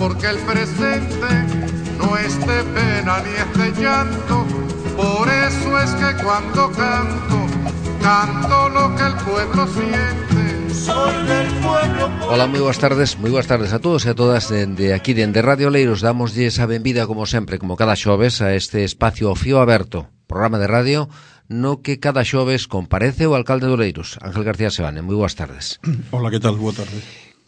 porque el presente no es de pena ni es de llanto. Por eso es que cuando canto, canto lo que el pueblo siente. Soy del pueblo. Hola, moi boas tardes a todos e a todas de aquí dende Radio Oleiros. Damoslle a benvida como sempre, como cada xoves, a este espacio Fío Aberto, programa de radio no que cada xoves comparece o alcalde de Oleiros, Ángel García Sebane. Moi boas tardes. Hola, que tal? Boa tarde.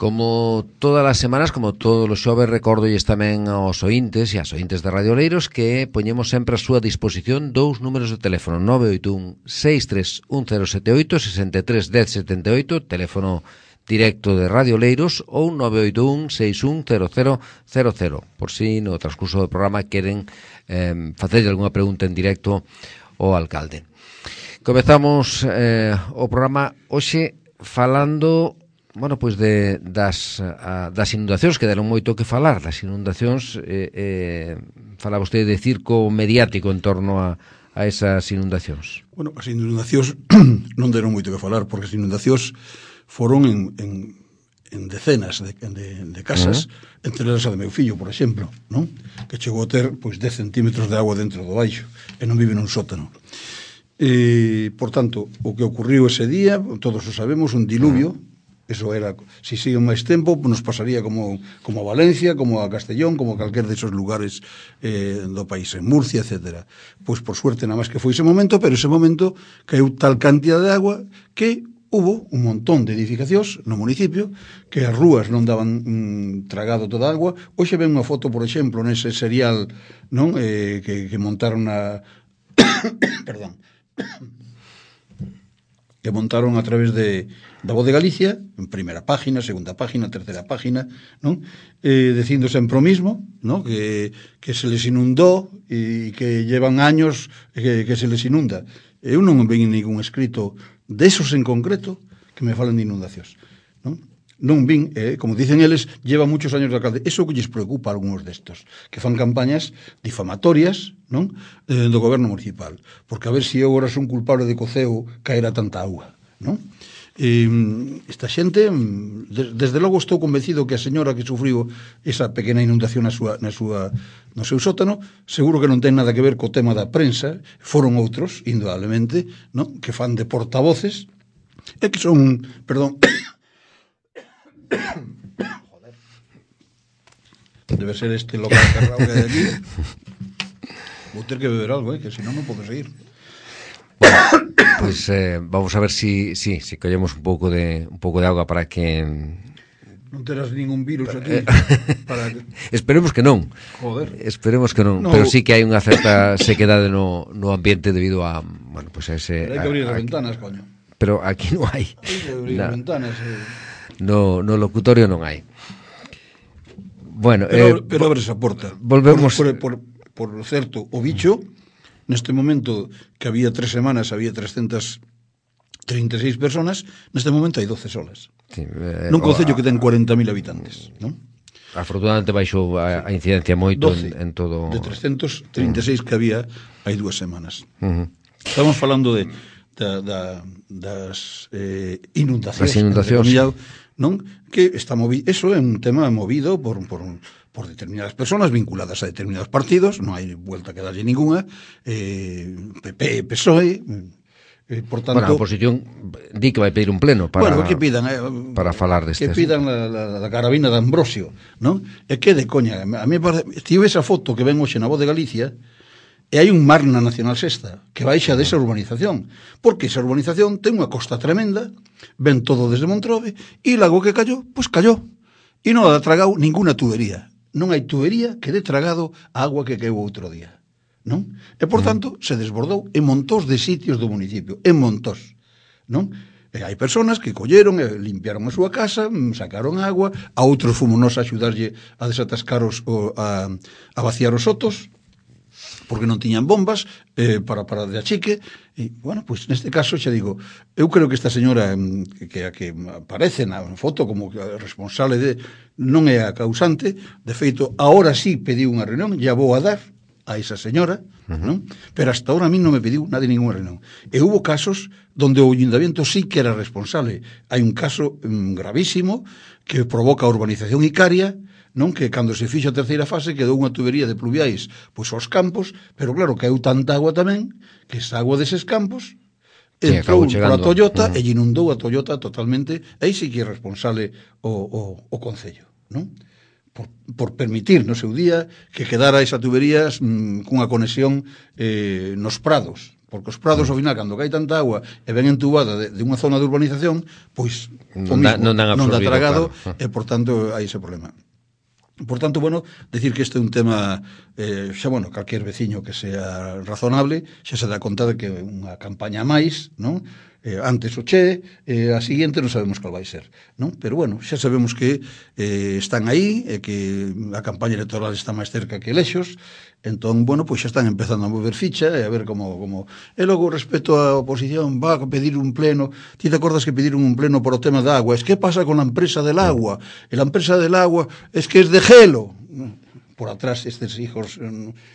Como todas as semanas, como todos os xoves, recordolles tamén aos ointes e as ointes de Radio Oleiros que poñemos sempre a súa disposición dous números de teléfono: 981 631078 63 1078, teléfono directo de Radio Oleiros, ou 981 610000, por si no transcurso do programa queren facerlle algunha pregunta en directo ao alcalde. Comezamos o programa hoxe falando pois das inundacións, que deron moito que falar. Das inundacións, fala vostede de circo mediático en torno a esas inundacións. Bueno, as inundacións non deron moito que falar, porque as inundacións foron en decenas de casas, entre elas a de meu fillo, por exemplo, non? Que chegou a ter 10 centímetros de agua dentro do baixo e non vive nun sótano. Por tanto, o que ocurriu ese día, todos o sabemos, un diluvio. Eso era, si sigue máis tempo, nos pasaría como a Valencia, como a Castellón, como a calquer desos lugares do país, en Murcia, etc. Pois por suerte nada máis que foi ese momento, pero ese momento caeu tal cantidad de agua que hubo un montón de edificacións no municipio que as rúas non daban tragado toda a agua. Hoxe ven unha foto, por exemplo, nese serial, non, que montaron perdón, que montaron a través da Voz de Galicia, en primeira página, segunda página, terceira página, non? Dicindo sempre o mismo, non? Que se les inundou e que llevan años que se les inunda. Eu non ven ningún escrito desos en concreto que me falen de inundacións, non? Non vin, como dicen eles, lleva muchos años de alcalde. Eso que lles preocupa a algúns destos, que fan campañas difamatorias, non? Do goberno municipal, porque a ver se eu agora son culpable de coceo caera tanta auga, non? Esta xente, desde logo estou convencido que a señora que sufriu esa pequena inundación no seu sótano, seguro que non ten nada que ver co tema da prensa. Foron outros, indudablemente, non? Que fan de portavoces e que son, perdón, joder, debe ser este local cerrado que hai aquí. Vou ter que beber algo, que senón non podo seguir. Pois vamos a ver si collemos un pouco de auga para que non terás ningún virus aquí. Esperemos que non. Joder. Esperemos que non, pero sí que hai unha certa sequedade no ambiente debido a, a ese. Pero hai que abrir as ventanas, coño. Pero aquí non hai. Hai que abrir as ventanas. No locutorio non hai. Bueno, pero abres a porta. Volvemos por certo, o bicho neste momento, que había 3 semanas había 336 personas, neste momento hai 12 solas. Sí, nun concello que ten 40.000 habitantes, non? Afortunadamente baixou a incidencia moito en todo. De 336 que había hai 2 semanas. Estamos falando das inundacións. Non? Que está eso é un tema movido por determinadas personas vinculadas a determinados partidos, non hai vuelta que darlle ninguna, PP, PSOE, por tanto... Bueno, a oposición di que vai pedir un pleno para, que pidan, para falar deste. Que pidan la carabina de Ambrosio, non? E que de coña, a mí estive esa foto que ven hoxe na Voz de Galicia, e hai un mar na Nacional Sexta que baixa desa urbanización, porque esa urbanización ten unha costa tremenda, ven todo desde Montrobe, e logo que cayó, pois cayó, e non ha tragado ninguna tubería. Non hai tubería que dé tragado a agua que caeu outro día, non? E, por tanto, se desbordou en montós de sitios do municipio, en montós, non? E hai personas que colleron e limpiaron a súa casa, sacaron agua, a outros fomos a axudarlle a desatascar a vaciar os sotos, porque non tiñan bombas para de achique. E, pois neste caso, xa digo, eu creo que esta señora que aparece na foto como responsable non é a causante. De feito, ahora sí pediu unha reunión, ya vou a dar a esa señora, non? Pero hasta ahora a mí non me pediu nada de ninguna reunión. E hubo casos donde o Ayuntamiento sí que era responsable. Hai un caso gravísimo que provoca a urbanización Icaria, non? Que cando se fixo a terceira fase quedou unha tubería de pluviais pois aos campos, pero claro, caeu tanta agua tamén que esa agua deses campos entrou pola Toyota e inundou a Toyota totalmente. Aí sí que é responsable o Concello, non? Por permitir no seu día que quedara esa tubería cunha conexión nos prados, porque os prados ao final cando cae tanta agua e ven entubada de unha zona de urbanización, pois non dá tragado, claro. E por tanto hai ese problema. Por tanto, bueno, decir que este é un tema xa, bueno, calquer veciño que sea razonable xa se dá conta de que é unha campaña máis, non? Antes o Che, a seguinte non sabemos cal vai ser, non? Pero bueno, xa sabemos que están aí, e que a campaña electoral está máis cerca que elexos, entón, bueno, pois xa están empezando a mover ficha e a ver como... E logo, respecto á oposición, va a pedir un pleno. Ti te acordas que pediron un pleno por o tema da agua? Es que pasa con la empresa del agua? E la empresa del agua es que es de gelo. Por atrás estes hijos,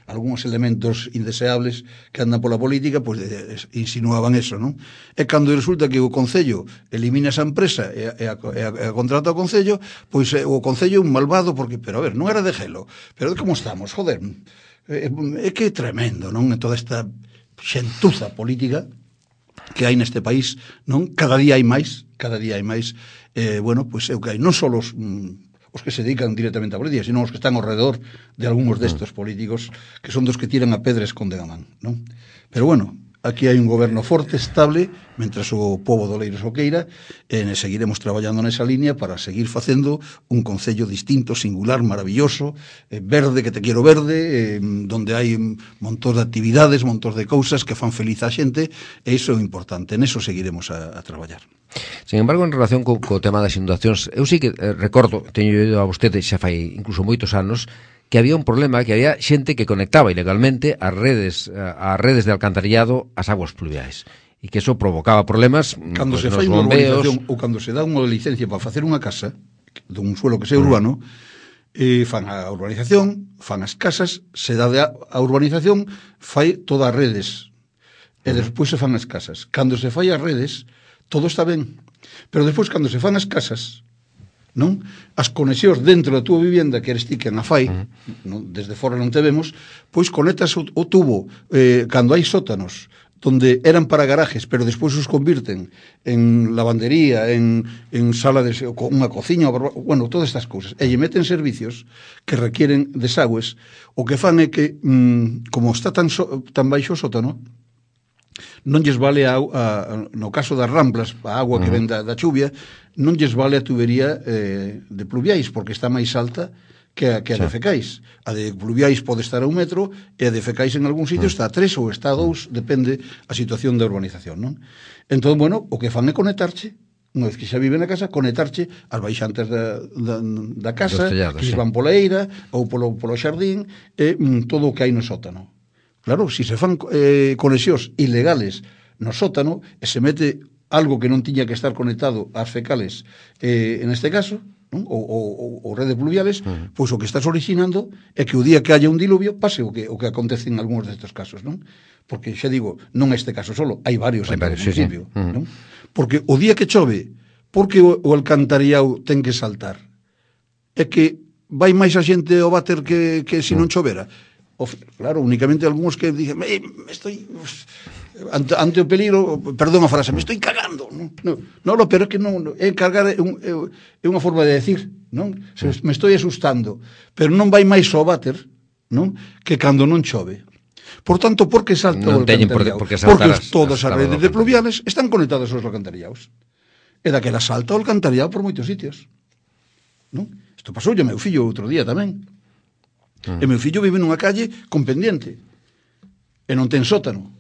algúns elementos indeseables que andan pola política, pois insinuaban eso, non? E cando resulta que o Concello elimina esa empresa e a contrata o Concello, pois o Concello é un malvado, porque, pero a ver, non era de gelo, pero como estamos, joder, é que é tremendo, non? En toda esta xentuza política que hai neste país, non? Cada día hai máis, bueno, pois é o que hai, non só os que se dedican directamente a política, sino os que están ao redor de algúns destes políticos que son dos que tiran a pedra e esconden a man, non? Pero bueno, aquí hai un goberno forte, estable, mentras o pobo do Oleiros o queira, e seguiremos traballando nesa línea para seguir facendo un concello distinto, singular, maravilloso, verde, que te quiero verde, donde hai montón de actividades, montón de cousas que fan feliz a xente, e iso é importante, en eso seguiremos a traballar. Sin embargo, en relación co tema das inundacións, eu sí que recordo, teño ido a vostede xa fai incluso moitos anos, que había un problema, que había xente que conectaba ilegalmente as redes de alcantarillado ás aguas pluviais, e que eso provocaba problemas cando se fai unha urbanización ou cando se dá unha licencia para facer unha casa dun suelo que sea urbano, fan a urbanización, fan as casas, se dá a urbanización, fai todas as redes e despois se fan as casas. Cando se fai as redes todo está ben, pero despois cando se fan as casas, non? As conexións dentro da túa vivienda, que eres ti quen a fai, non? Desde fora non te vemos, pois conectas o tubo cando hai sótanos donde eran para garajes, pero despois os convirten en lavandería, en sala de unha cociña, bueno, todas estas cousas, e lle meten servicios que requieren desagües. O que fan é que, como está tan baixo o sótano, non lles vale no caso das ramplas, a agua que ven da chuvia, non lles vale a tubería de pluviais, porque está máis alta que a de fecais. A de pluviais pode estar a 1 metro e a de fecais en algún sitio está a 3 ou está a 2, depende a situación da urbanización, non? Entón, bueno, o que fan é conectarche, unha vez que xa vive na casa, conectarche as baixantes da casa, que lles van pola eira ou polo xardín, e todo o que hai no sótano. Claro, se fan conexións ilegales no sótano e se mete algo que non tiña que estar conectado ás fecales, en este caso, non? Ou redes pluviales, pois o que estás orixinando é que o día que haya un diluvio pase o que acontece en algúns destes casos, non? Porque, xa digo, non este caso solo, hai varios en cada municipio, non? Porque o día que chove, porque o alcantarillado ten que saltar? É que vai máis a xente ao váter que se non chovera? Claro, únicamente algúns que dicen estoy ante o peligro, perdón a frase, me estoy cagando, non, pero é que non, é cargar é unha forma de decir, non? Me estoy asustando, pero non vai máis ao váter, non? Que cando non chove. Por tanto, por que salta o alcantarillado? Porque todas as redes de pluviales están conectadas aos alcantarillados. E daquela salta o alcantarillado por moitos sitios, non? Isto pasou ao meu fillo outro día tamén. E meu fillo vive nunha calle con pendiente e non ten sótano,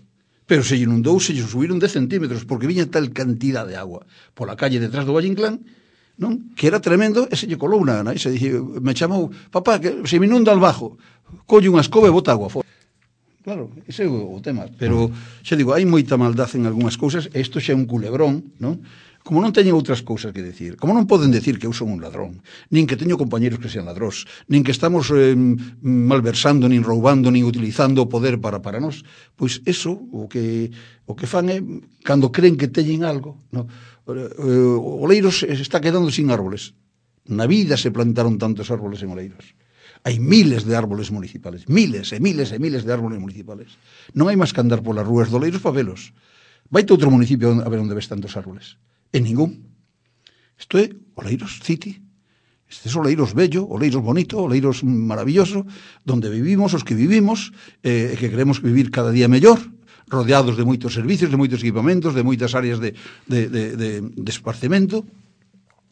pero se lle inundou, se lle subiron 10 centímetros porque viña tal cantidad de agua pola calle detrás do Valle Inclán, non? Que era tremendo, e se lle colou unha nai, me chamou, papá, que se me inunda al bajo, colle unha escoba e bota agua fora. Claro, ese é o tema, pero xa digo, hai moita maldad en algunhas cousas, e isto xa é un culebrón, non? Como non teñen outras cousas que decir, como non poden decir que eu son un ladrón, nin que teño compañeros que sean ladróns, nin que estamos malversando, nin roubando, nin utilizando o poder para nós, pois eso, o que fan é, cando creen que teñen algo, no? O Oleiros está quedando sin árboles, Na vida se plantaron tantos árboles en Oleiros. Hai miles de árboles municipales, miles e miles e miles de árboles municipales. Non hai máis que andar polas rúas de Oleiros para velos. Vaite a outro municipio a ver onde ves tantos árboles. En ningún. Isto é Oleiros City. Este é Oleiros bello, Oleiros bonito, Oleiros maravilloso, donde vivimos os que vivimos, e que queremos vivir cada día mellor, rodeados de moitos servicios, de moitos equipamentos, de moitas áreas de esparcemento.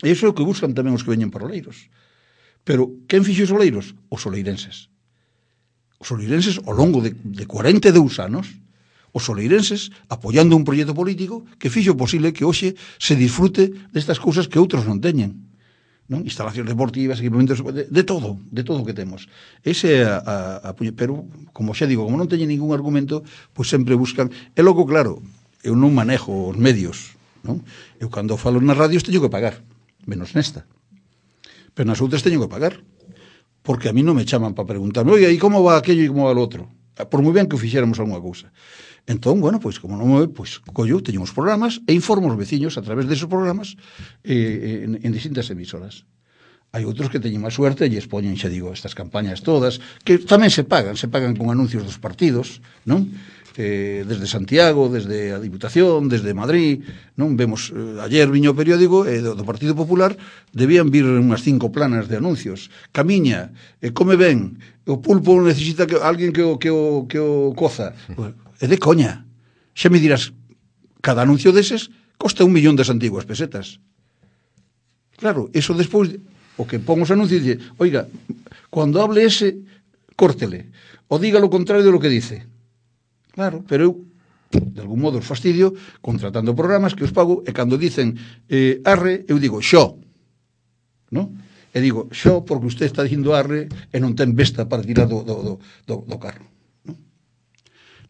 E iso é o que buscan tamén os que veñen para Oleiros. Pero, quen fixo os Oleiros? Os oleirenses. Os oleirenses, ao longo de 42 anos, os oleirenses, apoiando un proxecto político que fixo posible que hoxe se disfrute destas cousas que outros non teñen. Non? Instalacións deportivas, equipamentos, de todo o que temos. Ese é pero, como xa digo, como non teñen ningún argumento, pois sempre buscan. E logo, claro, eu non manejo os medios, non? Eu cando falo nas radios teño que pagar, menos nesta. Pero nas outras teño que pagar, porque a mí non me chaman para preguntarme, oye, e como va aquello e como va o outro? Por moi ben que fixéramos algunha cousa. Entón, bueno, pois, como non me pois, collo, teño uns programas e informo os veciños a través desos programas en distintas emisoras. Hai outros que teñen máis suerte e lles poñen, xa digo, estas campañas todas, que tamén se pagan con anuncios dos partidos, non? Desde Santiago, desde a Diputación, desde Madrid, non? Vemos, ayer viño o periódico do Partido Popular, debían vir unhas 5 planas de anuncios. Camiña, come ben, o pulpo necesita que alguén que o coza. É de coña. Xa me dirás, cada anuncio deses costa 1 millón das antiguas pesetas. Claro, eso despois, o que pon os anuncios dice, oiga, cando hable ese, córtele, o diga lo contrario de lo que dice. Claro, pero eu, de algún modo, os fastidio contratando programas que os pago e cando dicen arre, eu digo xo, non? E digo xo porque usted está dicindo arre e non ten besta para tirar do carro, non?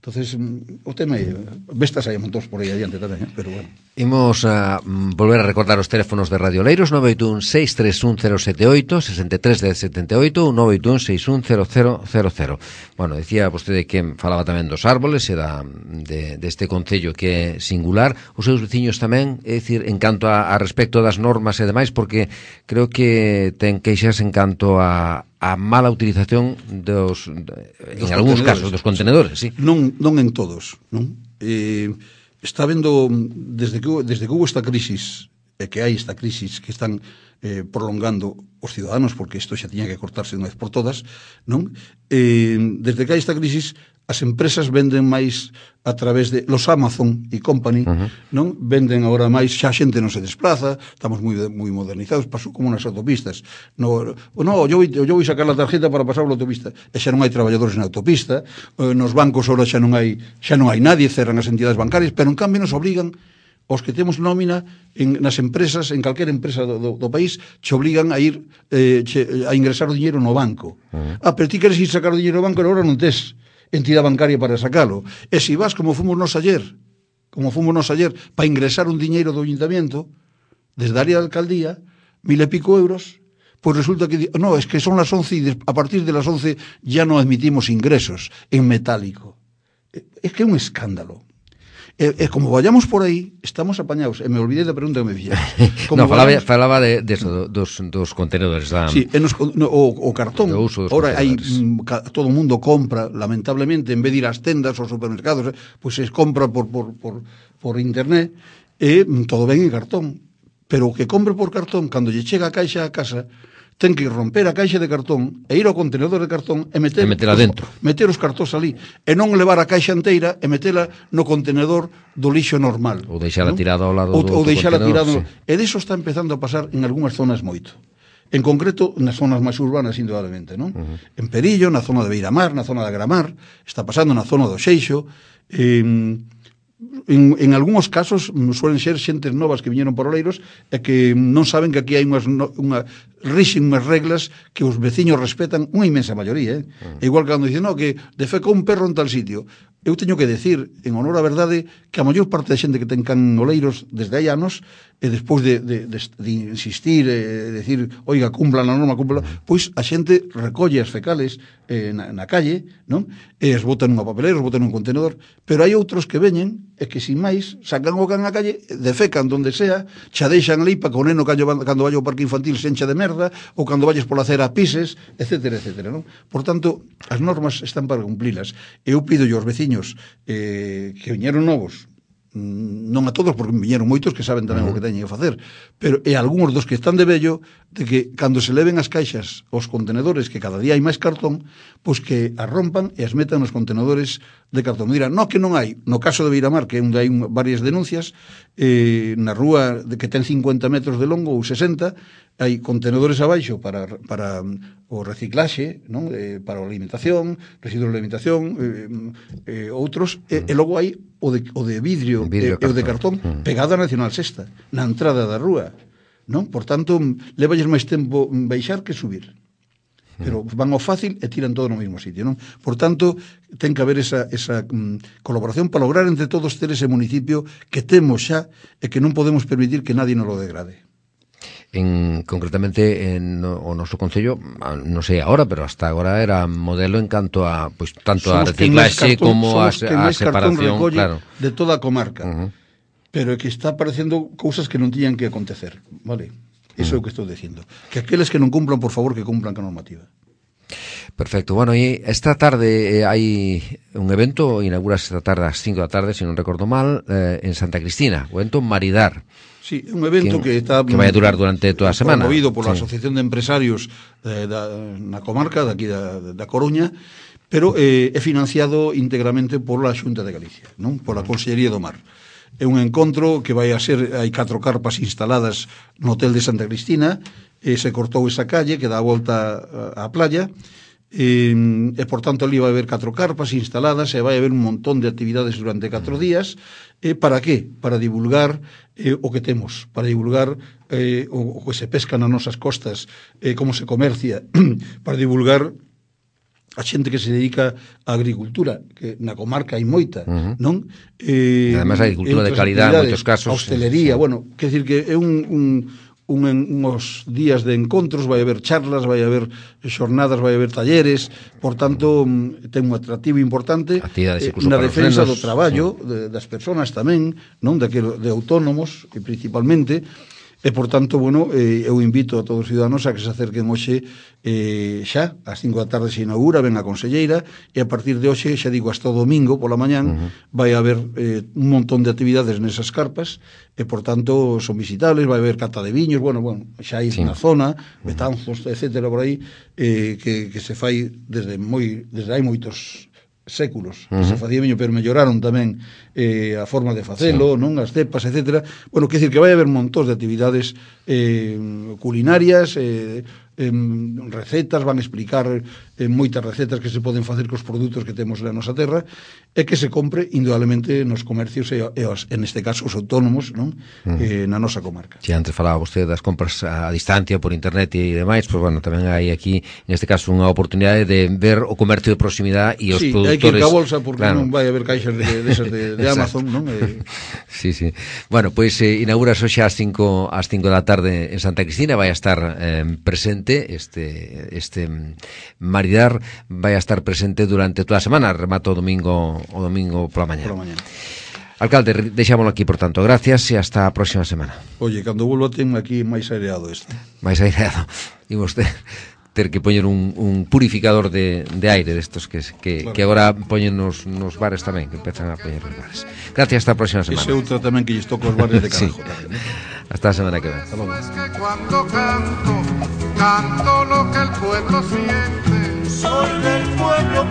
Entonces, o tema é bestas hai montóns por aí adiante tamén, pero bueno. Imos a volver a recordar os teléfonos de Radio Oleiros, 981-631-078, 63-1078, 981-61000. Bueno, decía vostede que falaba tamén dos árboles e deste concello que é singular. Os seus veciños tamén, é dicir, en canto a respecto das normas e demais, porque creo que ten queixas en canto a mala utilización en algúns casos, dos contenedores, sí. Non en todos, non? Está vendo, desde que hubo esta crisis, e que hai esta crisis que están prolongando os ciudadanos, porque isto xa tiña que cortarse unha vez por todas, non? Desde que hai esta crisis, as empresas venden máis a través de los Amazon e Company, non? Venden agora máis, xa a xente non se desplaza, estamos moi modernizados, pasou como nas autopistas. Yo vou sacar a tarjeta para pasar pola autopista, e xa non hai traballadores na autopista, nos bancos ahora xa non hai nadie, cerran as entidades bancarias, pero en cambio nos obrigan os que temos nómina nas empresas, en calquera empresa do país, che obligan a ir a ingresar o dinheiro no banco. Pero ti queres ir sacar o dinheiro no banco e agora non tes entidade bancaria para sacalo. E se vas como fomos nos ayer, para ingresar un diñeiro do ayuntamiento, desde a área de alcaldía, 1000 e pico euros, pois resulta que, no, es que son las 11 y a partir de las 11 ya no admitimos ingresos en metálico. Es que é un escándalo. E como vayamos por aí, estamos apañados. E me olvidei da pregunta que me fixeron. No, falaba de eso, dos contenedores. Sí, o cartón. Ahora hai todo o mundo compra, lamentablemente, en vez de ir ás tendas ou supermercados, pois se compra por internet, e todo ben en cartón. Pero o que compre por cartón, cando lle chega a caixa a casa, ten que romper a caixa de cartón e ir ao contenedor de cartón e metela dentro. Meter os cartóns ali e non levar a caixa inteira e metela no contenedor do lixo normal. Ou deixala tirada ao lado do contenedor. Ou deixala tirada. Sí. E diso está empezando a pasar en algunhas zonas moito. En concreto, nas zonas máis urbanas, indudablemente, non? En Perillo, na zona de Beiramar, na zona de Agramar, está pasando na zona do Xeixo, en algúns casos suelen ser xentes novas que viñeron por Oleiros e que non saben que aquí hai rixen unhas reglas que os veciños respetan, unha inmensa maioría, Igual que cando dicen, no, que defecou un perro en tal sitio, eu teño que decir, en honor á verdade, que a maior parte da xente que ten can oleiros desde hai anos, e despois de insistir, decir, oiga, cumplan a norma, cumplan, pois a xente recolle as fecales na calle, non? E as botan nunha papelera, os botan nun contenedor, pero hai outros que veñen e que, sin máis, sacan o can na calle, defecan donde sea, xa deixan ali para que o neno cando vai ao parque infantil se encha de merda, ou cando vayas pola acera pises, etcétera, etcétera, non? Por tanto, as normas están para cumplilas. Eu pido aos veciños que viñeron novos, non a todos, porque viñeron moitos que saben tamén o que teñen que facer, pero e algúns dos que están de vello, de que cando se leven as caixas, os contenedores, que cada día hai máis cartón, pois que as rompan e as metan nos contenedores de cartón. Me dirán, no, que non hai. No caso de Beiramar, que onde hai varias denuncias, na rúa que ten 50 metros de longo ou 60, hai contenedores abaixo para o reciclaxe, non? Para a alimentación, residuos de alimentación, outros, e logo hai o de vidrio e o de cartón pegado a Nacional Sexta, na entrada da rúa, non? Por tanto, levalles máis tempo baixar que subir. Pero van ao fácil e tiran todo no mesmo sitio, non? Por tanto, ten que haber esa colaboración para lograr entre todos ter ese municipio que temos xa e que non podemos permitir que nadie nos lo degrade. Concretamente o noso concello, non sei agora, pero hasta agora era modelo en canto a tanto a reciclaxe como a separación, claro, de toda a comarca. Pero é que está aparecendo cousas que non tiñan que acontecer, vale? Iso é o que estou dicindo. Que aqueles que non cumplan, por favor, que cumplan con a normativa. Perfecto. Bueno, e esta tarde hai un evento, inaugurase esta tarde ás 5 da tarde, se non recordo mal, en Santa Cristina, o evento Maridar. Sí, un evento que vai a durar durante toda a semana. Promovido pola Asociación de Empresarios na comarca, daqui da Coruña, pero é financiado íntegramente pola Xunta de Galicia, non? Pola Consellería do Mar. É un encontro que vai a ser, hai 4 carpas instaladas no hotel de Santa Cristina, se cortou esa calle que dá a volta á playa, e por tanto ali vai haber 4 carpas instaladas e vai haber un montón de actividades durante 4 días. Para qué? Para divulgar o que temos, para divulgar o que se pesca nas nosas costas, como se comercia, para divulgar a xente que se dedica á agricultura, que na comarca hai moita, non? Además, a agricultura de calidad en moitos casos. A hostelería, bueno, quer decir que é uns días de encontros, vai haber charlas, vai haber xornadas, vai haber talleres, por tanto, ten un atractivo importante na defensa do traballo das persoas tamén, non? De autónomos, principalmente, e, por tanto, bueno, eu invito a todos os ciudadanos a que se acerquen hoxe xa, ás 5 da tarde se inaugura, ven a conselleira, e a partir de hoxe, xa digo, hasta o domingo pola mañán, vai haber un montón de actividades nesas carpas, e, por tanto, son visitables, vai haber cata de viños, bueno, xa hai na zona, Betanzos, etcétera, por aí, que se fai desde hai moitos séculos, que se facía viño, pero melloraron tamén a forma de facelo, non? As cepas, etcétera. Bueno, quer dicir que vai haber montón de actividades culinarias, recetas, van explicar moitas recetas que se poden facer cos produtos que temos na nosa terra e que se compre indudablemente nos comercios e neste caso os autónomos, non? Na nosa comarca. Si antes falaba vostede das compras a distancia por internet e demais, pois bueno, tamén hai aquí neste caso unha oportunidade de ver o comercio de proximidade e os produtores. Sí, hai que ir ca bolsa porque non vai haber caixas desas de Amazon, non? Sí. Bueno, pois inauguras hoxe ás 5 da tarde en Santa Cristina, vai a estar presente este Maridar, vai a estar presente durante toda a semana, remata o domingo pola mañá. Alcalde, deixámoslo aquí, por tanto, gracias e hasta a próxima semana. Oye, cando volvo ten aquí máis aireado este. Máis aireado. E vostede ter que poñer un purificador de aire destos que agora poñen nos bares tamén, que empezan a poñer nos bares. Gracias, hasta a próxima semana. Ese outra tamén que lles toca os bares de Carajo. Sí. Hasta a semana que ven. Es que cuando canto lo que el pueblo siente. Soy del pueblo,